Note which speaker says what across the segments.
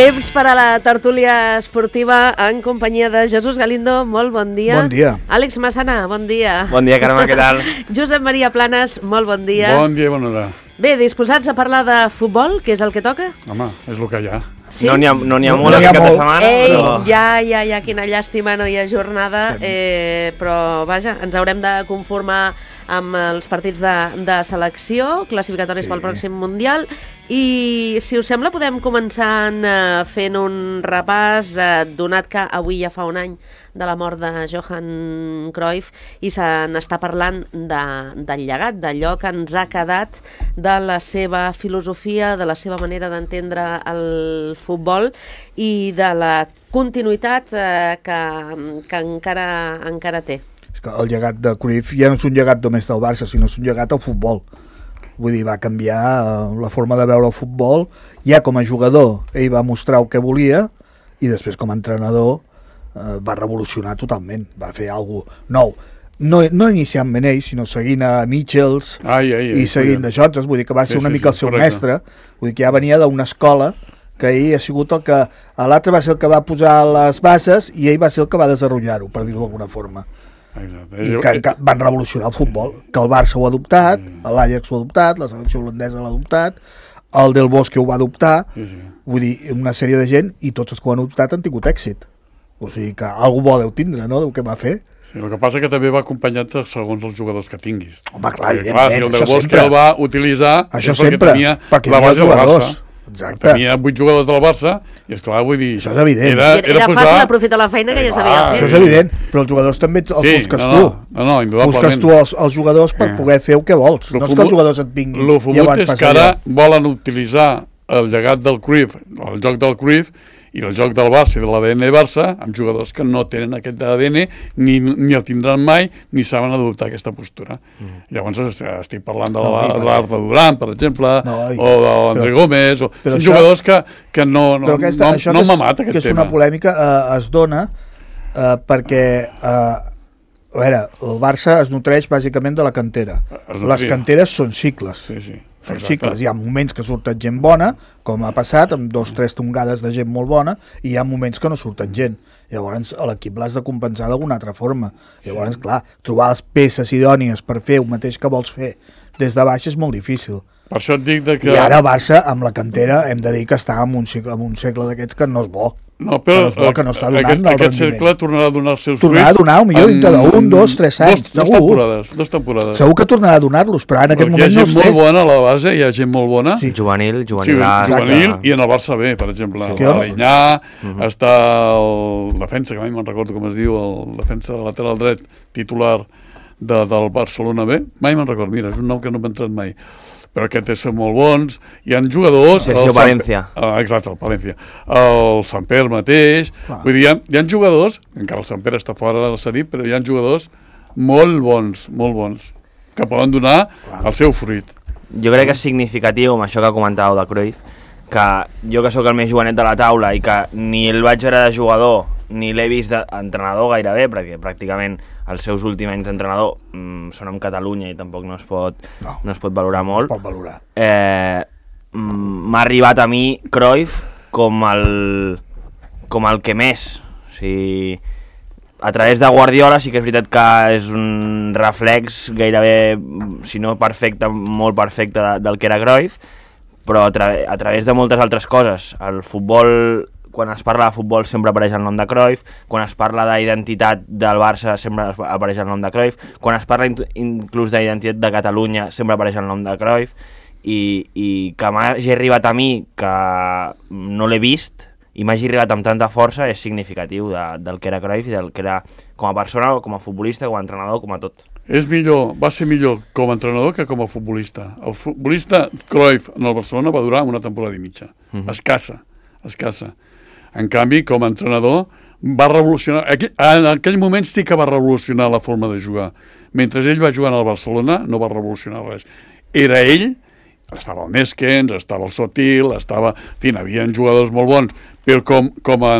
Speaker 1: Temps per a la tertúlia esportiva en companyia de Jesús Galindo. Molt bon dia.
Speaker 2: Bon dia.
Speaker 1: Àlex Massana, bon dia.
Speaker 3: Bon dia, Carme, què tal?
Speaker 1: Josep Maria Planes, molt bon dia.
Speaker 2: Bon dia i bona hora.
Speaker 1: Bé, disposats a parlar de futbol, que és el que toca?
Speaker 2: Home, és el que hi ha.
Speaker 1: Sí?
Speaker 3: No n'hi ha molt
Speaker 2: no hi ha
Speaker 3: aquest cap de
Speaker 2: molt.
Speaker 3: setmana,
Speaker 1: Ei,
Speaker 3: però...
Speaker 1: ja, quina llàstima, no hi ha jornada, però vaja, ens haurem de conformar amb els partits de selecció, classificatoris pel pròxim Mundial, i si us sembla podem començar fent un repàs, donat que avui ja fa un any de la mort de Johan Cruyff i se n'està parlant del llegat, d'allò que ens ha quedat de la seva filosofia, de la seva manera d'entendre el futbol i de la continuïtat que encara té.
Speaker 2: És que el llegat de Cruyff ja no és un llegat només del Barça, sinó és un llegat al futbol. Vull dir, va canviar la forma de veure el futbol. Ja com a jugador ell va mostrar el que volia i després com a entrenador va revolucionar totalment, va fer alguna cosa nou. No inicialment ell, sinó seguint a Michels i seguint de Jotes, vull dir que va ser una mica el seu mestre, vull dir que ja venia d'una escola que ell ha sigut el que... L'altre va ser el que va posar les bases i ell va ser el que va desenvolupar-ho, per dir-ho d'alguna forma. I que van revolucionar el futbol, que el Barça ho ha adoptat, l'Ajax ho ha adoptat, la selecció holandesa l'ha adoptat, el Del Bosque ho va adoptar, vull dir, una sèrie de gent, i tots els que ho han adoptat han tingut èxit. O sigui que alguna bo deu tindre, no?, del que va fer.
Speaker 4: Sí, el que passa que també va acompanyat segons els jugadors que tinguis.
Speaker 2: Home, clar,
Speaker 4: evidentment, si el Del Bosque el va utilitzar
Speaker 2: això sempre, perquè la base del Barça. Exacte.
Speaker 4: Tenia 8 jugadors del Barça i, esclar, vull dir...
Speaker 2: Això és evident.
Speaker 1: Era fàcil aprofitar la feina que ja s'havia fet.
Speaker 2: Això és evident, però els jugadors també els busques tu.
Speaker 4: No, indudablement.
Speaker 2: Busques tu els jugadors per poder fer el que vols. No és que els jugadors et vinguin
Speaker 4: i llavors és que ara volen utilitzar el llegat del Cruyff, el joc del Cruyff, i el joc del Barça i de l'ADN Barça amb jugadors que no tenen aquest ADN ni el tindran mai ni saben adoptar aquesta postura. Llavors estic parlant de l'Arda Duran, per exemple, o de l'André Gómez, són jugadors que no m'amata aquest tema.
Speaker 2: Que és una polèmica, es dona perquè a veure, el Barça es nutreix bàsicament de la cantera. Les canteres són cicles. Són cicles. Hi ha moments que surten gent bona, com ha passat, amb 2 o 3 tongades de gent molt bona, i hi ha moments que no surten gent. Llavors l'equip l'has de compensar d'alguna altra forma. Llavors, clar, trobar les peces idònies per fer el mateix que vols fer des de baix és molt difícil.
Speaker 4: Per això et dic que...
Speaker 2: I ara Barça, amb la cantera, hem de dir que està en un segle d'aquests que no és bo.
Speaker 4: No, però
Speaker 2: que no està donant
Speaker 4: aquest cercle tornarà a donar els seus fruits.
Speaker 2: Tornarà a donar, millor dintre d'1, 2, 3 anys.
Speaker 4: Dos temporades.
Speaker 2: Segur que tornarà a donar-los, però en aquest moment no
Speaker 4: hi ha gent molt bona a la base, hi ha gent molt bona.
Speaker 3: Juvenil
Speaker 4: I en el Barça B, per exemple. L'Alinyà, està el defensa, que mai me'n recordo com es diu, el defensa de lateral dret titular del Barcelona B. Mai me'n recordo, mira, és un nom que no m'ha entrat mai. Però aquests són molt bons. Hi ha jugadors...
Speaker 3: Sergio Palencia.
Speaker 4: Exacte, el Palencia. El Samper mateix. Vull dir, hi ha jugadors, encara el Samper està fora, s'ha dit, però hi ha jugadors molt bons, que poden donar el seu fruit.
Speaker 3: Jo crec que és significatiu, amb això que comentàveu de Cruyff, que jo que sóc el més jovenet de la taula i que ni el vaig veure de jugador ni l'he vist d'entrenador gairebé, perquè pràcticament els seus últims anys d'entrenador són amb Catalunya i tampoc no es pot valorar molt.
Speaker 2: No es pot valorar.
Speaker 3: M'ha arribat a mi Cruyff com el que més. O sigui, a través de Guardiola sí que és veritat que és un reflex gairebé, si no perfecte, molt perfecte del que era Cruyff, però a través de moltes altres coses. El futbol... Quan es parla de futbol sempre apareix el nom de Cruyff, quan es parla d'identitat del Barça sempre apareix el nom de Cruyff, quan es parla inclús d'identitat de Catalunya sempre apareix el nom de Cruyff, i que m'hagi arribat a mi, que no l'he vist, i m'hagi arribat amb tanta força, és significatiu del que era Cruyff i del que era com a persona, com a futbolista, com a entrenador, com a tot.
Speaker 4: Va ser millor com a entrenador que com a futbolista. El futbolista Cruyff en el Barcelona va durar una temporada i mitja. Escassa. En canvi, com a entrenador, va revolucionar... En aquell moment sí que va revolucionar la forma de jugar. Mentre ell va jugar al Barcelona, no va revolucionar res. Era ell, estava el Neskens, estava el Sotil, estava... En fi, hi havia jugadors molt bons, però com a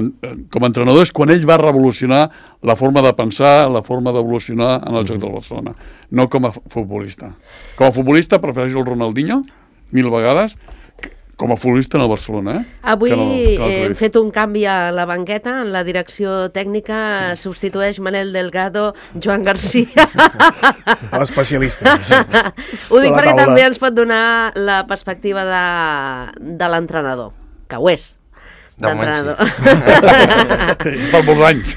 Speaker 4: entrenador és quan ell va revolucionar la forma de pensar, la forma d'evolucionar en el joc del Barcelona, no com a futbolista. Com a futbolista prefereixo el Ronaldinho, 1000 vegades, Com a futbolista en el Barcelona,
Speaker 1: Avui
Speaker 4: que no
Speaker 1: hem
Speaker 4: Cruyff.
Speaker 1: fet un canvi a la banqueta, en la direcció tècnica substitueix Manel Delgado, Joan Garcia.
Speaker 2: L'especialista.
Speaker 1: Ho dic
Speaker 2: De la
Speaker 1: perquè
Speaker 2: taula.
Speaker 1: també ens pot donar la perspectiva de l'entrenador, que ho és.
Speaker 3: De moment
Speaker 1: D'entrenador.
Speaker 4: Per molts anys.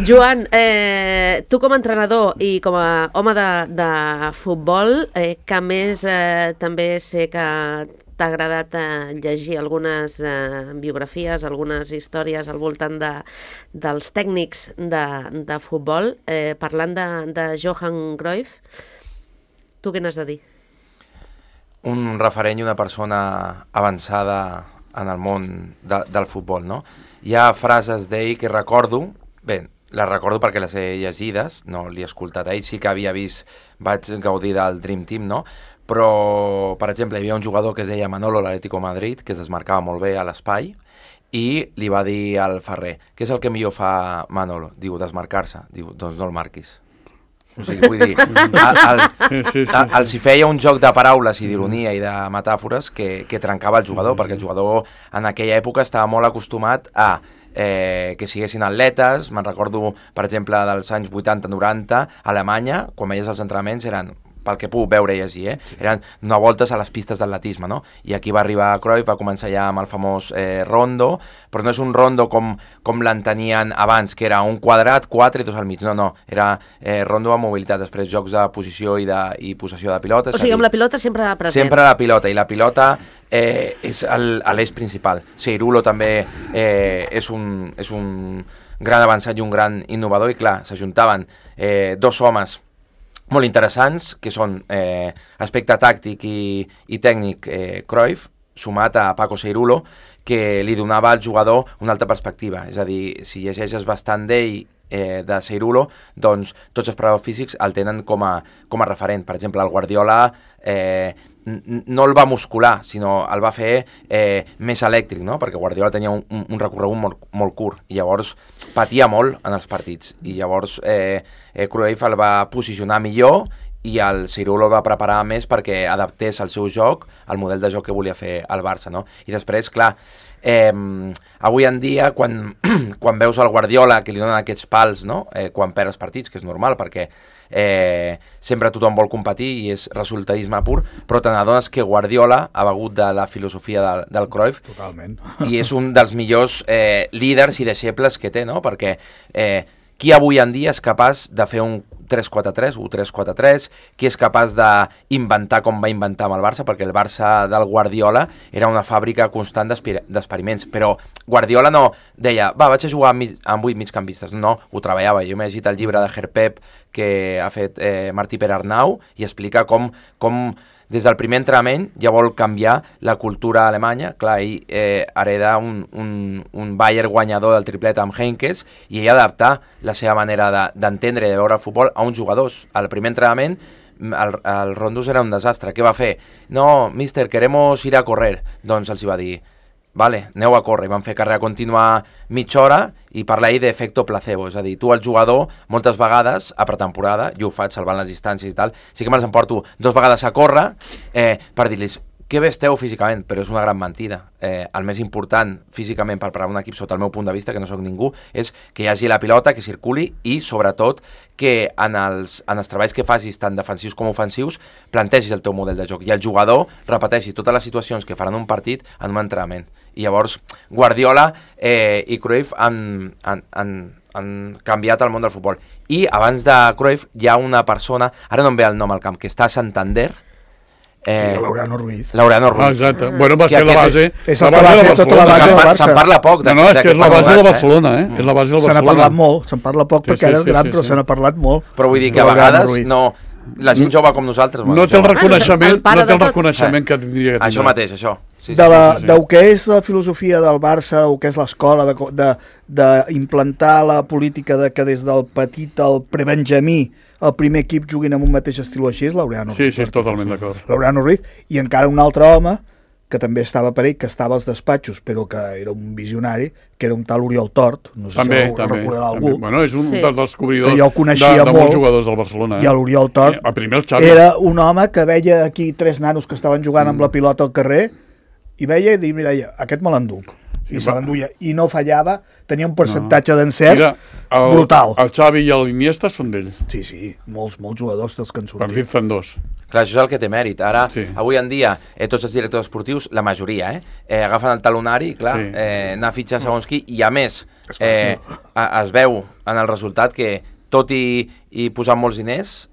Speaker 1: Joan, tu com a entrenador i com a home de futbol, que a més també sé que t'ha agradat llegir algunes biografies, algunes històries al voltant dels tècnics de futbol, parlant de Johan Cruyff, tu què n'has de dir?
Speaker 5: Un referent i una persona avançada en el món del futbol, no? Hi ha frases d'ell que recordo, bé, les recordo perquè les he llegides, no l'he escoltat a ell, sí que havia vist, vaig gaudir del Dream Team, no? Però, per exemple, hi havia un jugador que es deia Manolo, l'Atlético de Madrid, que es desmarcava molt bé a l'espai, i li va dir al Ferrer, què és el que millor fa Manolo? Diu, desmarcar-se. Diu, doncs no el marquis. O sigui, vull dir, els hi feia un joc de paraules i d'ironia i de metàfores que trencava el jugador, perquè el jugador en aquella època estava molt acostumat a que siguessin atletes. Me'n recordo, per exemple, dels anys 80-90, a Alemanya, quan veies els entrenaments, eren, pel que puc veure i llegir, eren donar voltes a les pistes d'atletisme, no? I aquí va arribar Cruyff, va començar ja amb el famós rondo, però no és un rondo com l'entenien abans, que era un quadrat, 4 i 2 al mig, no, era rondo amb mobilitat, després jocs de posició i possessió de pilota.
Speaker 1: O sigui, amb la pilota sempre present.
Speaker 5: Sempre la pilota, i la pilota és l'eix principal. Seirulo també és un gran avançat i un gran innovador, i clar, s'ajuntaven dos homes molt interessants, que són aspecte tàctic i tècnic Cruyff, sumat a Paco Seirulo, que li donava al jugador una altra perspectiva. És a dir, si llegeixes bastant d'ell, de Seirulo, doncs tots els preparadors físics el tenen com a referent. Per exemple, el Guardiola no el va muscular, sinó el va fer més elèctric, no? Perquè Guardiola tenia un recorregut molt curt, i llavors patia molt en els partits, i llavors Cruyff el va posicionar millor, i el Seirulo el va preparar més perquè adaptés el seu joc al model de joc que volia fer el Barça, no? I després, clar, avui en dia, quan veus el Guardiola que li donen aquests pals, no? Quan perd els partits, que és normal, perquè sempre tothom vol competir i és resultadisme pur, però te n'adones que Guardiola ha begut de la filosofia del Cruyff.
Speaker 2: Totalment.
Speaker 5: I és un dels millors líders i deixebles que té, no? Perquè qui avui en dia és capaç de fer un 3-4-3 o 3-4-3, qui és capaç d'inventar com va inventar amb el Barça, perquè el Barça del Guardiola era una fàbrica constant d'experiments, però Guardiola no deia, vaig a jugar amb 8 migcampistes, no, ho treballava. Jo m'he llegit el llibre de Herpep que ha fet Martí Pere Arnau, i explica com des del primer entrenament ja vol canviar la cultura alemanya. Clar, ell hereda un Bayern guanyador del triplet amb Heynckes, i ell adaptar la seva manera d'entendre i de veure el futbol a uns jugadors. Al primer entrenament el rondos era un desastre. Què va fer? No, mister, queremos ir a correr. Doncs els hi va dir, vale, aneu a córrer. I van fer carrera contínua mitja hora i parlar ahir d'efecte placebo, és a dir, tu el jugador moltes vegades a pretemporada, jo ho faig salvant les distàncies i tal, sí que me'ls emporto 2 vegades a córrer per dir-los que bé esteu físicament, però és una gran mentida. El més important físicament per parar un equip, sota el meu punt de vista, que no sóc ningú, és que hi hagi la pilota, que circuli, i sobretot que en els treballs que facis, tant defensius com ofensius, plantegis el teu model de joc i el jugador repeteixi totes les situacions que faran un partit en un entrenament. I llavors Guardiola i Cruyff han canviat el món del futbol. I abans de Cruyff hi ha una persona, ara no em ve el nom al camp, que està a Santander.
Speaker 2: Sí, Laureano Ruiz.
Speaker 5: Laureano Ruiz.
Speaker 4: Exacte. Bueno, va ser la base.
Speaker 2: És el que va fer tota la base del Barça.
Speaker 5: Se'n parla poc.
Speaker 4: No, és que és la base del Barcelona, És la base del Barcelona.
Speaker 2: Se n'ha parlat molt, se'n parla poc perquè ara és gran, però se n'ha parlat molt.
Speaker 5: Però vull dir que a vegades no... La gent jove com nosaltres...
Speaker 4: No té el reconeixement que tindria que tenir.
Speaker 5: Això mateix, això.
Speaker 2: Del que és la filosofia del Barça, o que és l'escola, d'implantar la política de que des del petit al prebenjamí el primer equip juguin amb un mateix estil així, és Laureano Ruiz.
Speaker 4: Sí, totalment d'acord.
Speaker 2: Laureano Ruiz, i encara un altre home que també estava per ell, que estava als despatxos, però que era un visionari, que era un tal Oriol Tort, no sé si ho recordarà algú.
Speaker 4: Bueno, és un dels descobridors
Speaker 2: de
Speaker 4: molts jugadors del Barcelona.
Speaker 2: I l'Oriol Tort era un home que veia aquí 3 nanos que estaven jugant amb la pilota al carrer i veia i mira, aquest me l'enduc. I se l'enduia, i no fallava, tenia un percentatge d'encert brutal.
Speaker 4: El Xavi i l'Iniesta són d'ell.
Speaker 2: Sí, molts jugadors dels que en sortit.
Speaker 4: Per dir-te'n dos.
Speaker 5: Clar, això és el que té mèrit. Ara, avui en dia, tots els directors esportius, la majoria, agafen el talonari, clar, anar a fitxar segons qui, i a més, es veu en el resultat que, tot i posar molts diners,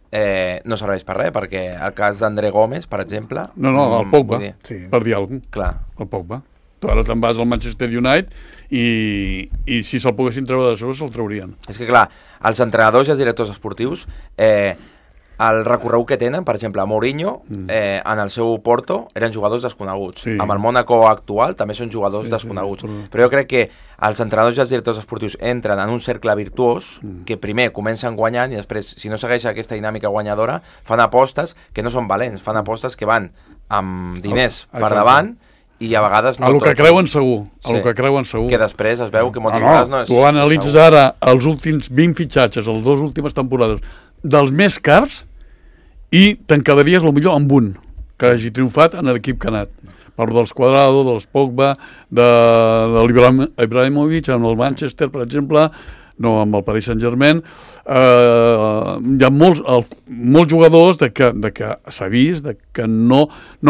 Speaker 5: no serveix per res, perquè el cas d'André Gómez, per exemple...
Speaker 4: No, el Pogba, per dir alguna cosa.
Speaker 5: Clar.
Speaker 4: El Pogba. Tu ara te'n vas al Manchester United i si se'l poguessin treure de sobre, se'l traurien.
Speaker 5: És que, clar, els entrenadors i els directors esportius, el recorregut que tenen, per exemple, Mourinho, en el seu Porto, eren jugadors desconeguts. Sí. Amb el Mónaco actual també són jugadors desconeguts. Però jo crec que els entrenadors i els directors esportius entren en un cercle virtuós que primer comencen guanyant i després, si no segueix aquesta dinàmica guanyadora, fan apostes que no són valents, fan apostes que van amb diners per davant i a vegades no
Speaker 4: el que creuen segur, que creuen segur.
Speaker 5: Que després es veu que moltes vegades no és...
Speaker 4: Tu analitzes ara els últims 20 fitxatges, les 2 últimes temporades, dels més cars, i te'n quedaries potser amb un que hagi triomfat en l'equip que ha anat. Parlo dels Cuadrado, dels Pogba, de l'Ibrahimovic, amb el Manchester, per exemple, no amb el Paris Saint-Germain. Hi ha molts jugadors que s'ha vist que no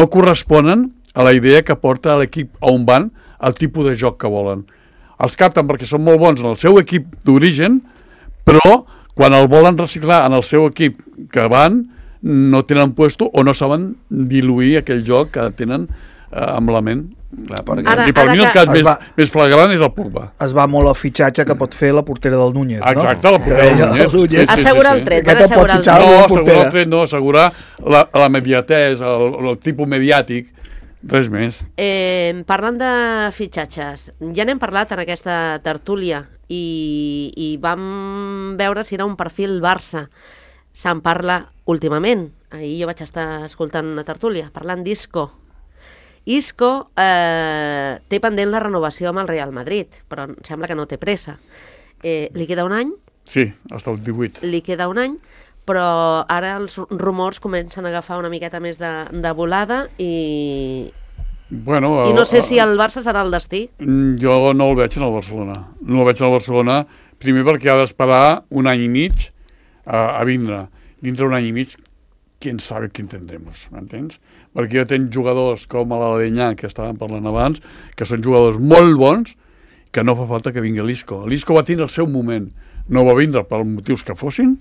Speaker 4: corresponen a la idea que porta l'equip a on van, el tipus de joc que volen. Els capten perquè són molt bons en el seu equip d'origen, però quan el volen reciclar en el seu equip que van, no tenen puesto o no saben diluir aquell joc que tenen amb la ment.
Speaker 5: Clar,
Speaker 4: I per mi el cas més flagrant és el Pogba.
Speaker 2: Es va molt al fitxatge que pot fer la portera del Núñez, no?
Speaker 4: Exacte, la portera del Núñez.
Speaker 1: Assegurar el tret,
Speaker 2: van assegurar el tret.
Speaker 4: No, assegurar el tret no, assegurar la mediatesa, el tipus mediàtic, res més.
Speaker 1: Parlant de fitxatges, ja n'hem parlat en aquesta tertúlia i vam veure si era un perfil Barça. Se'n parla últimament. Ahir jo vaig estar escoltant una tertúlia, parlant d'Isco. Isco té pendent la renovació amb el Real Madrid, però sembla que no té pressa. Li queda un any?
Speaker 4: Sí, fins el 18.
Speaker 1: Li queda un any, però ara els rumors comencen a agafar una miqueta més de volada i no sé si el Barça serà el destí.
Speaker 4: Jo no el veig en el Barcelona. No el veig en el Barcelona, primer perquè ha d'esperar un any i mig a vindre. Dintre un any i mig, quién sabe quién tendremos, m'entens? Perquè jo tenc jugadors com l'Alenyà, que estàvem parlant abans, que són jugadors molt bons, que no fa falta que vingui l'Isco. L'Isco va tindre el seu moment, no va vindre per motius que fossin,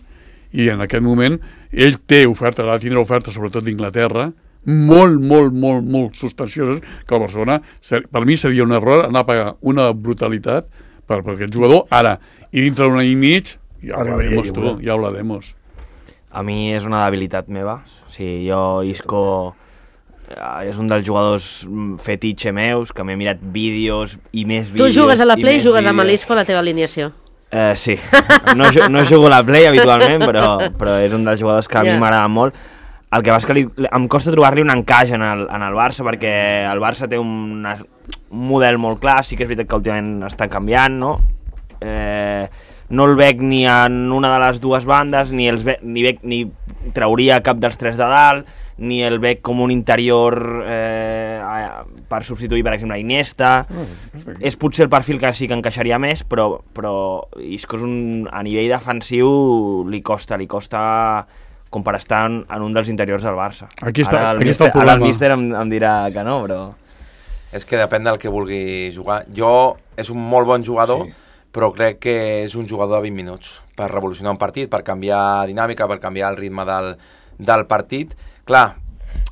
Speaker 4: i en aquest moment ell té oferta, va tindre oferta sobretot d'Inglaterra, molt substancioses, que el Barcelona, per mi seria un error anar a pagar una brutalitat per aquest jugador ara, i dintre d'un any i mig ja hablaremos.
Speaker 3: A mi és una debilitat meva. O sigui, jo, Isco, és un dels jugadors fetitxe meus, que m'he mirat vídeos i més vídeos.
Speaker 1: Tu jugues a la Play i jugues amb l'Isco a la teva alineació.
Speaker 3: Sí, no jugo a la Play habitualment, però és un dels jugadors que a mi m'agrada molt. El que va és que em costa trobar-li un encaix en el Barça, perquè el Barça té un model molt clar, sí que és veritat que últimament està canviant, no? No el veig ni en una de les dues bandes, ni trauria cap dels tres de dalt, ni el veig com un interior per substituir, per exemple, Iniesta. És potser el perfil que sí que encaixaria més, però Isco a nivell defensiu li costa com per estar en un dels interiors del Barça.
Speaker 4: Aquí està el problema.
Speaker 3: Ara el míster em dirà que no, però...
Speaker 5: És que depèn del que vulgui jugar. És un molt bon jugador, però crec que és un jugador de 20 minuts per revolucionar un partit, per canviar dinàmica, per canviar el ritme del partit. Clar,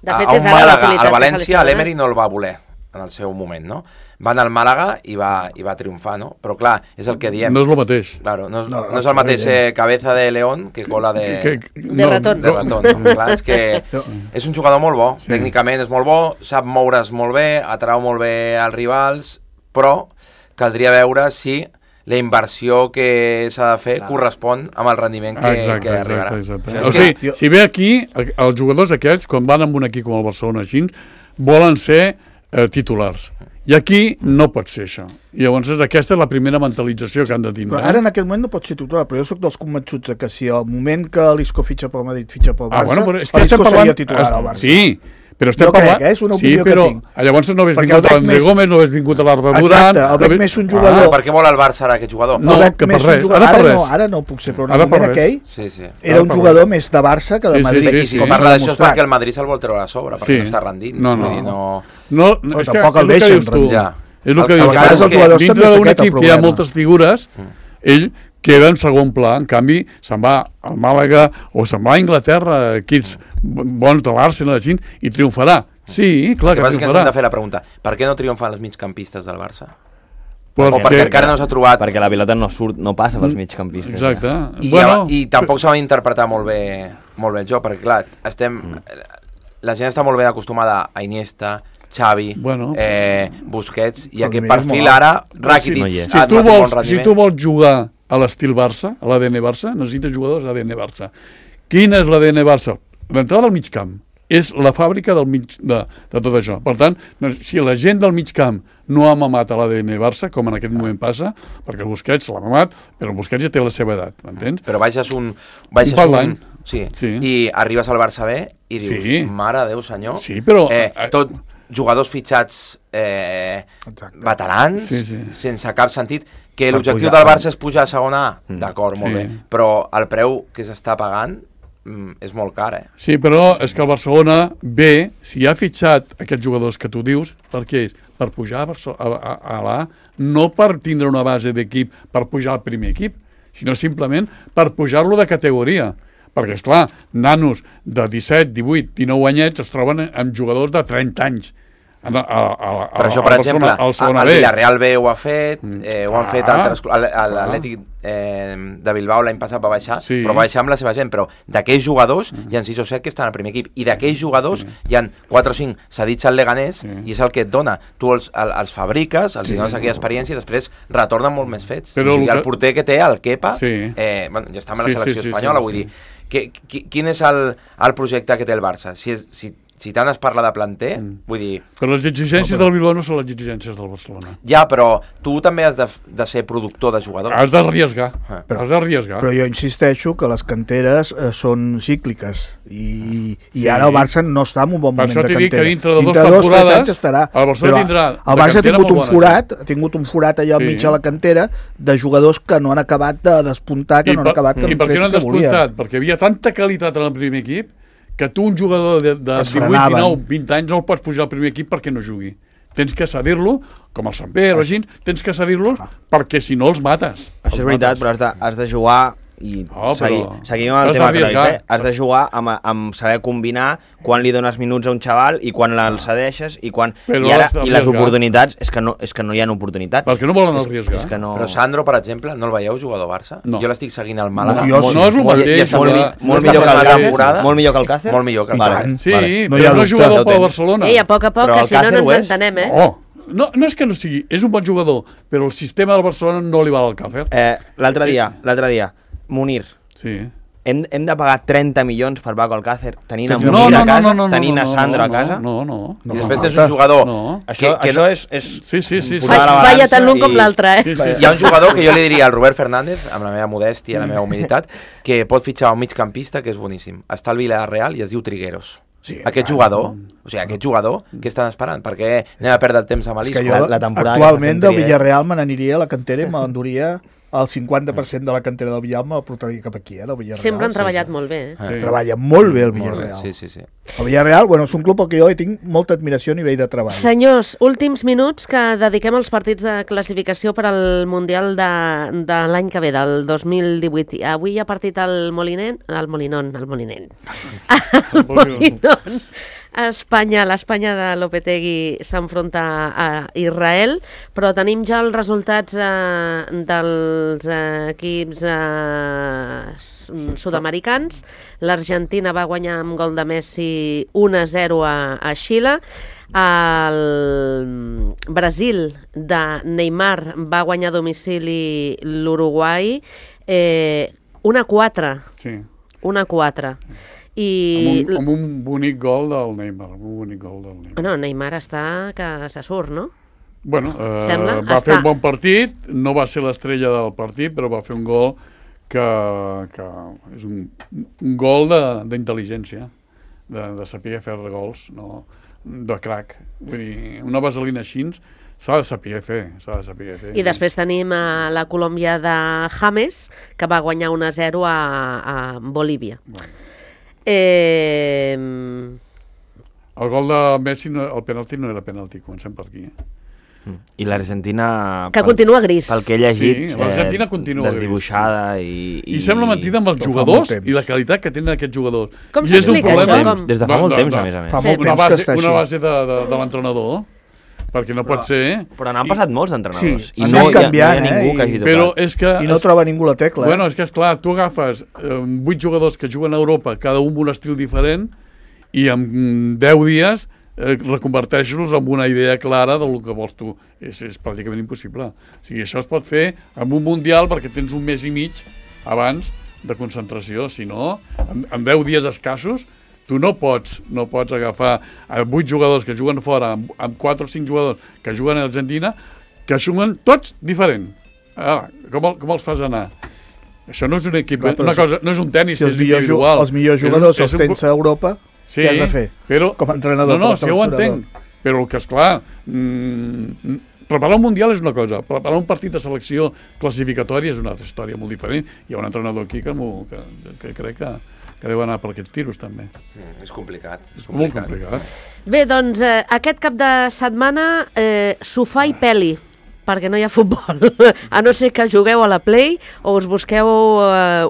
Speaker 5: al València l'Emery no el va voler en el seu moment, no? Va anar al Màlaga i va triomfar, no? Però clar, és el que diem.
Speaker 4: No és el mateix.
Speaker 5: Claro, no és el mateix cabeza de león que cola de
Speaker 1: ratón.
Speaker 5: De ratón. Clar, és que és un jugador molt bo, tècnicament és molt bo, sap moure's molt bé, atrau molt bé als rivals, però caldria veure si la inversió que s'ha de fer correspon amb el rendiment que arribarà.
Speaker 4: Exacte. O sigui, si ve aquí, els jugadors aquests, quan van amb un equip com el Barcelona així, volen ser titulars. I aquí no pot ser això. I llavors aquesta és la primera mentalització que han de tindre.
Speaker 2: Però ara en aquest moment no pot ser titular, però jo soc dels convençuts que si al moment que l'Isco fitxa pel Madrid fitxa pel Barça,
Speaker 4: bueno,
Speaker 2: l'Isco seria titular al Barça.
Speaker 4: Sí, Però estem
Speaker 2: Jo crec,
Speaker 4: parlant...
Speaker 2: és una opinió
Speaker 4: sí, però
Speaker 2: que tinc.
Speaker 4: llavors no hagués
Speaker 2: Perquè
Speaker 4: vingut
Speaker 2: el veig
Speaker 4: l'André
Speaker 2: més-
Speaker 4: Gómez, no hagués vingut l'Arda Duran...
Speaker 2: Exacte, el veig més un jugador...
Speaker 5: Per què vol el Barça ara aquest jugador?
Speaker 4: No,
Speaker 2: veig
Speaker 4: que per
Speaker 2: més un
Speaker 4: res,
Speaker 2: jugador-
Speaker 4: ara per res.
Speaker 2: Ara no puc ser, però en
Speaker 4: Ara
Speaker 2: el
Speaker 4: per
Speaker 2: moment
Speaker 4: res.
Speaker 2: aquell
Speaker 5: Sí, sí.
Speaker 2: era un
Speaker 4: per
Speaker 2: jugador
Speaker 4: res.
Speaker 2: més de Barça que de
Speaker 4: Sí, sí,
Speaker 2: Madrid.
Speaker 4: sí,
Speaker 5: I
Speaker 4: sí.
Speaker 5: si
Speaker 2: com s'ha
Speaker 5: parla d'això és
Speaker 2: demostrat.
Speaker 5: perquè el Madrid se'l vol treure a sobre, perquè
Speaker 4: Sí.
Speaker 5: no està rendint.
Speaker 4: No, no.
Speaker 5: Vull dir,
Speaker 4: No,
Speaker 2: Però
Speaker 4: és que
Speaker 2: tampoc el
Speaker 4: és que
Speaker 2: deixen
Speaker 4: dius tu.
Speaker 2: rendir.
Speaker 5: Ja.
Speaker 4: És el que
Speaker 5: A
Speaker 4: dius.
Speaker 5: vegades
Speaker 4: tu.
Speaker 5: els jugadors
Speaker 2: també
Speaker 4: Dintre
Speaker 2: és
Speaker 4: d'un
Speaker 2: aquest el
Speaker 4: equip que hi ha
Speaker 2: problema.
Speaker 4: moltes figures, ell queda en segon pla. En canvi, se'n va al Màlaga o se'n va a Anglaterra, equips bons de l'Arsenal, i triomfarà. Sí, clar
Speaker 5: El que
Speaker 4: que
Speaker 5: passa és que ens hem
Speaker 4: triomfarà.
Speaker 5: de fer la pregunta, per què no triomfan els migcampistes del Barça?
Speaker 4: Perquè-
Speaker 5: O perquè encara no s'ha trobat...
Speaker 3: Perquè la pilota no surt, no passa pels migcampistes.
Speaker 4: Exacte.
Speaker 5: I tampoc s'ha d'interpretar molt bé el joc, perquè clar, la gent està molt ben acostumada a Iniesta, Xavi,
Speaker 4: Bueno.
Speaker 5: Busquets, i
Speaker 2: El
Speaker 5: aquest
Speaker 2: nivell és
Speaker 5: perfil
Speaker 2: molt alt.
Speaker 5: ara, Rakitic,
Speaker 3: no hi és.
Speaker 4: Si
Speaker 5: ha
Speaker 4: tu,
Speaker 5: donat un bon
Speaker 4: vols, si
Speaker 5: rendiment.
Speaker 4: tu vols jugar a l'estil Barça, a l'ADN Barça, necessites jugadors d'ADN Barça. Quin és l'ADN Barça? L'entrada al mig camp és la fàbrica de tot això. Per tant, si la gent del mig camp no ha mamat a l'ADN Barça, com en aquest moment passa, perquè el Busquets l'ha mamat, però el Busquets ja té la seva edat, m'entens?
Speaker 5: Però baixes
Speaker 4: Un pal d'any.
Speaker 5: Sí.
Speaker 4: Sí.
Speaker 5: I arribes al Barça B i dius,
Speaker 4: Sí.
Speaker 5: mare de Déu senyor,
Speaker 4: Sí, però-
Speaker 5: tot jugadors fitxats
Speaker 2: Exacte.
Speaker 5: veterans,
Speaker 4: Sí.
Speaker 5: sense cap sentit, que
Speaker 3: Per
Speaker 5: l'objectiu
Speaker 3: pujar.
Speaker 5: del Barça és pujar a segona A, d'acord, molt
Speaker 4: Sí.
Speaker 5: bé, però el preu que s'està pagant és molt car,
Speaker 4: Sí, però és que el Barcelona B, si ha fitxat aquests jugadors que tu dius, per què és? Per pujar a l'A, no per tindre una base d'equip per pujar al primer equip, sinó simplement per pujar-lo de categoria. Perquè, esclar, nanos de 17, 18, 19 anyets es troben amb jugadors de 30 anys.
Speaker 5: Per això, per exemple, el Villarreal B ho ha fet, ho han fet altres... L'Atlètic de Bilbao l'any passat va baixar,
Speaker 4: Sí.
Speaker 5: però va baixar amb la seva gent, però d'aquells jugadors hi ha 6 o 7 que estan al primer equip, i d'aquells jugadors hi ha 4 o 5 cedits al Leganés, i és el que et dona. Tu els fabriques, els dones aquella experiència, i després retornen molt més fets.
Speaker 4: Però
Speaker 5: O sigui,
Speaker 4: el
Speaker 5: el porter que té, el Kepa,
Speaker 4: Sí.
Speaker 5: bueno, ja està amb la
Speaker 4: Sí,
Speaker 5: selecció
Speaker 4: sí, sí,
Speaker 5: espanyola,
Speaker 4: sí,
Speaker 5: vull
Speaker 4: sí.
Speaker 5: dir, quin és el projecte que té el Barça? Si tant es parla de planter, vull dir,
Speaker 4: Però les exigències del Bilbao no són les exigències del Barcelona.
Speaker 5: ja, però tu també has de ser productor de jugadors.
Speaker 4: Has d'arriesgar.
Speaker 2: Però-
Speaker 4: Has d'arriesgar.
Speaker 2: Però jo insisteixo que les canteres són cícliques i
Speaker 4: Sí.
Speaker 2: ara el Barça no està en un bon
Speaker 4: Per
Speaker 2: moment
Speaker 4: això
Speaker 2: de
Speaker 4: t'he dit
Speaker 2: cantera.
Speaker 4: que dintre de dos
Speaker 2: 2 o 3
Speaker 4: temporades
Speaker 2: anys estarà.
Speaker 4: el Barcelona
Speaker 2: Però
Speaker 4: tindrà
Speaker 2: el
Speaker 4: de
Speaker 2: Barça ha
Speaker 4: cantera
Speaker 2: tingut
Speaker 4: molt
Speaker 2: un
Speaker 4: bona
Speaker 2: forat, ha tingut un forat allà al
Speaker 4: Sí.
Speaker 2: mig de la cantera de jugadors que no han acabat de despuntar, que no han acabat
Speaker 4: I per què no han
Speaker 2: que volien.
Speaker 4: despuntat? Perquè hi havia tanta qualitat en el primer equip que tu, un jugador de
Speaker 2: Es
Speaker 4: 18,
Speaker 2: frenaven.
Speaker 4: 19, 20 anys, no el pots pujar al primer equip perquè no jugui. Tens que cedir-lo, com el Sant Pere, així, tens que cedir-los perquè si no els mates.
Speaker 3: Això és veritat, però has de jugar i seguim amb el
Speaker 4: has
Speaker 3: tema Cruyff,
Speaker 4: d'arriesgar.
Speaker 3: Has de jugar amb saber combinar quan li dones minuts a un xaval i quan el cedeixes i quan...
Speaker 4: Però
Speaker 3: I, ara,
Speaker 4: has
Speaker 3: i les
Speaker 4: d'arriesgar.
Speaker 3: oportunitats, és que no hi ha oportunitats.
Speaker 4: Perquè no volen arriscar.
Speaker 3: És que no...
Speaker 5: Però Sandro, per exemple, no el veieu jugador Barça?
Speaker 4: No.
Speaker 5: Jo l'estic seguint al Màlaga.
Speaker 2: No, jo sí.
Speaker 4: No és el
Speaker 3: Molt-
Speaker 4: mateix.
Speaker 5: i està
Speaker 3: molt,
Speaker 5: fent-
Speaker 3: molt
Speaker 5: està
Speaker 3: millor que
Speaker 5: fent
Speaker 3: el
Speaker 5: una
Speaker 3: Càcer?
Speaker 5: temporada
Speaker 3: Molt millor que el Càcer?
Speaker 5: Molt millor que el
Speaker 2: I
Speaker 5: Barça.
Speaker 2: tant.
Speaker 4: Sí,
Speaker 3: Vale.
Speaker 2: No hi
Speaker 4: però
Speaker 2: ha
Speaker 4: no és
Speaker 2: dubte.
Speaker 4: jugador
Speaker 3: Ja ho
Speaker 4: pel
Speaker 3: tens.
Speaker 4: Barcelona.
Speaker 1: Ei, a poc,
Speaker 3: Però
Speaker 1: que
Speaker 3: el
Speaker 1: si no,
Speaker 3: Càcer
Speaker 1: no
Speaker 3: ho
Speaker 1: ens
Speaker 3: és?
Speaker 1: entenem, eh?
Speaker 4: Oh, no és que no sigui, és un bon jugador, però el sistema del Barcelona no li val al Càcer.
Speaker 3: L'altre dia, Munir,
Speaker 4: Sí.
Speaker 3: hem de pagar 30 milions per Paco Alcácer tenint a
Speaker 4: No,
Speaker 3: Munir a casa,
Speaker 4: no,
Speaker 3: tenint a Sandro a casa?
Speaker 4: No.
Speaker 5: I després tens un jugador...
Speaker 4: No.
Speaker 3: Això és
Speaker 4: Sí.
Speaker 3: posar a la
Speaker 1: Falla
Speaker 3: balança
Speaker 1: tant l'un com
Speaker 3: i-
Speaker 1: l'altre, eh?
Speaker 4: Sí.
Speaker 5: Hi ha un jugador que jo li diria al Robert Fernández, amb la meva modèstia, la meva humilitat, que pot fitxar un migcampista que és boníssim. Està al Villarreal i es diu Trigueros.
Speaker 2: Sí,
Speaker 5: Aquest jugador, què estan esperant? Per què anem a perdre el temps amb
Speaker 2: És que
Speaker 5: l'Isco?
Speaker 2: jo
Speaker 3: la temporada
Speaker 2: actualment
Speaker 3: que està
Speaker 2: del
Speaker 3: fent
Speaker 2: Villarreal me n'aniria a la cantera i m'enduria el 50% de la cantera del Villarreal me la portaria cap aquí, del Villarreal.
Speaker 1: Sempre han treballat molt bé, eh?
Speaker 5: Sí.
Speaker 2: Treballa molt bé el
Speaker 5: Molt bé,
Speaker 2: Villarreal.
Speaker 5: sí.
Speaker 2: El Villarreal, bueno, és un club al que jo hi tinc molta admiració a nivell de treball.
Speaker 1: Senyors, últims minuts que dediquem als partits de classificació per al Mundial de l'any que ve, del 2018. Avui hi ha partit al Molinon. Al Molinon. L'Espanya de Lopetegui s'enfronta a Israel, però tenim ja els resultats dels equips sud-americans. L'Argentina va guanyar amb gol de Messi 1-0 a Xile. El Brasil de Neymar va guanyar a domicili l'Uruguai 1-4.
Speaker 4: Sí.
Speaker 1: 1-4. I...
Speaker 4: Amb un bonic gol del Neymar.
Speaker 1: Bueno, Neymar està que se surt, no?
Speaker 4: Bueno,
Speaker 1: Sembla,
Speaker 4: va
Speaker 1: està-
Speaker 4: fer un bon partit, no va ser l'estrella del partit, però va fer un gol que és un gol d'intel·ligència. de saber fer gols, no? De crac. Vull dir, una vaselina així s'ha de saber fer,
Speaker 1: I després tenim la Colòmbia de James, que va guanyar 1-0 a Bolívia.
Speaker 4: Bueno. El gol de Messi, el penalti no era penalti, comencem per aquí.
Speaker 3: I l'Argentina...
Speaker 1: Que continua gris.
Speaker 3: Pel que he llegit,
Speaker 4: Sí, l'Argentina continua
Speaker 3: desdibuixada
Speaker 4: I sembla mentida amb els jugadors i la qualitat que tenen aquests jugadors.
Speaker 1: Com
Speaker 4: I és un
Speaker 1: s'explica
Speaker 4: problema.
Speaker 1: això? Com...
Speaker 3: Des de fa molt temps, a més a més.
Speaker 2: Fa molt temps que està
Speaker 4: Una
Speaker 2: així.
Speaker 4: base de l'entrenador, perquè no pot ser...
Speaker 3: Però n'han passat molts d'entrenadors.
Speaker 2: Sí,
Speaker 3: I
Speaker 2: anem
Speaker 3: no
Speaker 2: canviant,
Speaker 3: hi ha ningú que hagi tocat.
Speaker 4: Però és que...
Speaker 2: I no troba ningú la tecla.
Speaker 4: Bueno, és que, esclar, tu agafes 8 jugadors que juguen a Europa, cada un amb un estil diferent, i en 10 dies reconverteix-los en una idea clara del que vols tu. És pràcticament impossible. O sigui, això es pot fer amb un mundial perquè tens un mes i mig abans de concentració. Si no, en 10 dies escassos, tu no pots agafar 8 jugadors que juguen fora, amb 4 o 5 jugadors que juguen a Argentina, que juguen tots diferent. Com els fas anar? Això no és un equip,
Speaker 2: Clar,
Speaker 4: una cosa, no és un tenis,
Speaker 2: si
Speaker 4: és individual.
Speaker 2: Els millors jugadors els tens a Europa,
Speaker 4: sí,
Speaker 2: què has de fer?
Speaker 4: Però,
Speaker 2: com a entrenador,
Speaker 4: no,
Speaker 2: com a
Speaker 4: si ho
Speaker 2: seleccionador.
Speaker 4: entenc, però el que és clar, preparar un mundial és una cosa, preparar un partit de selecció classificatòria és una altra història molt diferent. Hi ha un entrenador aquí que crec que deu anar per aquests tiros també.
Speaker 5: És complicat.
Speaker 4: Molt complicat.
Speaker 1: Bé, doncs aquest cap de setmana sofà i peli, perquè no hi ha futbol, a no ser que jugueu a la Play o us busqueu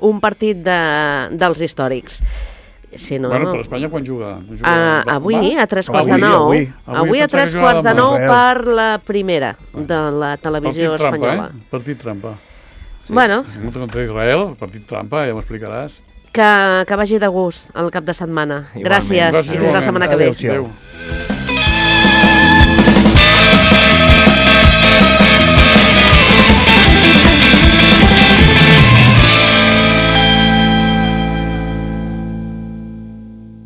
Speaker 1: un partit dels històrics. Si no,
Speaker 4: Bueno, però Espanya quan juga?
Speaker 1: Avui, a 3 quarts de
Speaker 2: Avui,
Speaker 1: 9.
Speaker 2: avui.
Speaker 1: Avui a 3 quarts de 9
Speaker 2: Real.
Speaker 1: per la primera de la televisió
Speaker 4: Partit trampa,
Speaker 1: espanyola.
Speaker 4: Partit trampa.
Speaker 1: Bueno,
Speaker 4: Contra Israel, partit trampa, ja m'explicaràs.
Speaker 1: que vagi de gust el cap de setmana.
Speaker 3: Igualment.
Speaker 1: Gràcies
Speaker 4: Gràcies,
Speaker 1: i fins la
Speaker 4: igualment.
Speaker 1: setmana que ve.
Speaker 2: Adéu-siau.
Speaker 4: Adéu.